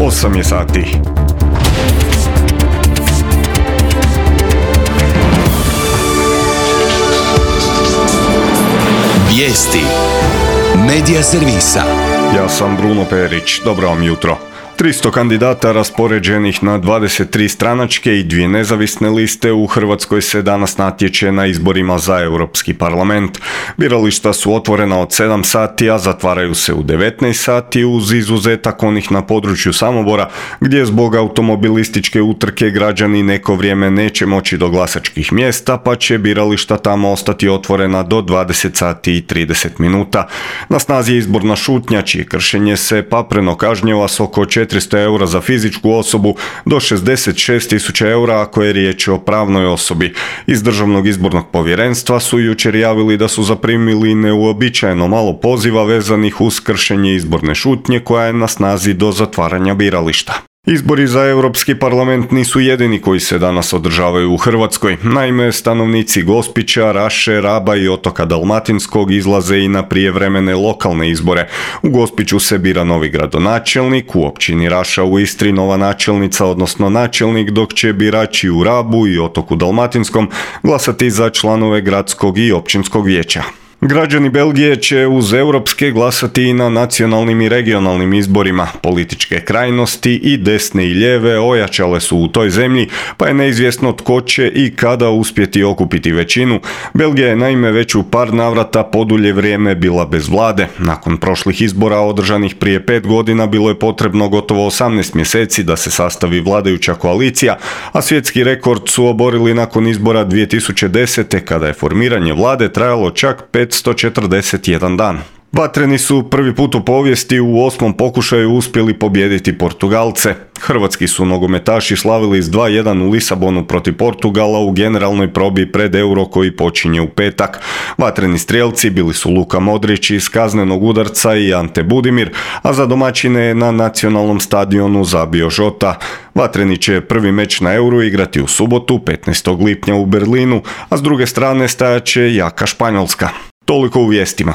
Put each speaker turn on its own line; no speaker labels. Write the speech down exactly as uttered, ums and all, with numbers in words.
osam je sati.
Vijesti Medija servisa.
Ja sam Bruno Perić, dobro vam jutro. tristo kandidata raspoređenih na dvadeset tri stranačke i dvije nezavisne liste u Hrvatskoj se danas natječe na izborima za Europski parlament. Birališta su otvorena od sedam sati, a zatvaraju se u devetnaest sati uz izuzetak onih na području Samobora, gdje zbog automobilističke utrke građani neko vrijeme neće moći do glasačkih mjesta, pa će birališta tamo ostati otvorena do dvadeset sati i trideset minuta. Na snazi je izborna šutnja, čije kršenje se papreno kažnjava s oko četiristo eura za fizičku osobu do šezdeset šest tisuća eura ako je riječ o pravnoj osobi. Iz Državnog izbornog povjerenstva su jučer javili da su zaprimili neuobičajeno malo poziva vezanih uz kršenje izborne šutnje koja je na snazi do zatvaranja birališta. Izbori za Europski parlament nisu jedini koji se danas održavaju u Hrvatskoj. Naime, stanovnici Gospića, Raše, Raba i otoka Dalmatinskog izlaze i na prijevremene lokalne izbore. U Gospiću se bira novi gradonačelnik, u općini Raša u Istri nova načelnica, odnosno načelnik, dok će birači u Rabu i otoku Dalmatinskom glasati za članove gradskog i općinskog vijeća. Građani Belgije će uz europske glasati i na nacionalnim i regionalnim izborima. Političke krajnosti i desne i lijeve ojačale su u toj zemlji, pa je neizvjesno tko će i kada uspjeti okupiti većinu. Belgija je naime već u par navrata podulje vrijeme bila bez vlade. Nakon prošlih izbora održanih prije pet godina bilo je potrebno gotovo osamnaest mjeseci da se sastavi vladajuća koalicija, a svjetski rekord su oborili nakon izbora dvije tisuće desete kada je formiranje vlade trajalo čak petsto četrdeset jedan dan. Vatreni su prvi put u povijesti u osmom pokušaju uspjeli pobijediti Portugalce. Hrvatski su nogometaši slavili s dva jedan u Lisabonu protiv Portugala u generalnoj probi pred Euro koji počinje u petak. Vatreni strijelci bili su Luka Modrić iz kaznenog udarca i Ante Budimir, a za domaćine je na nacionalnom stadionu zabio Žota. Vatreni će prvi meč na Euro igrati u subotu, petnaestog lipnja u Berlinu, a s druge strane stajat će jaka Španjolska. Toliko u vijestima.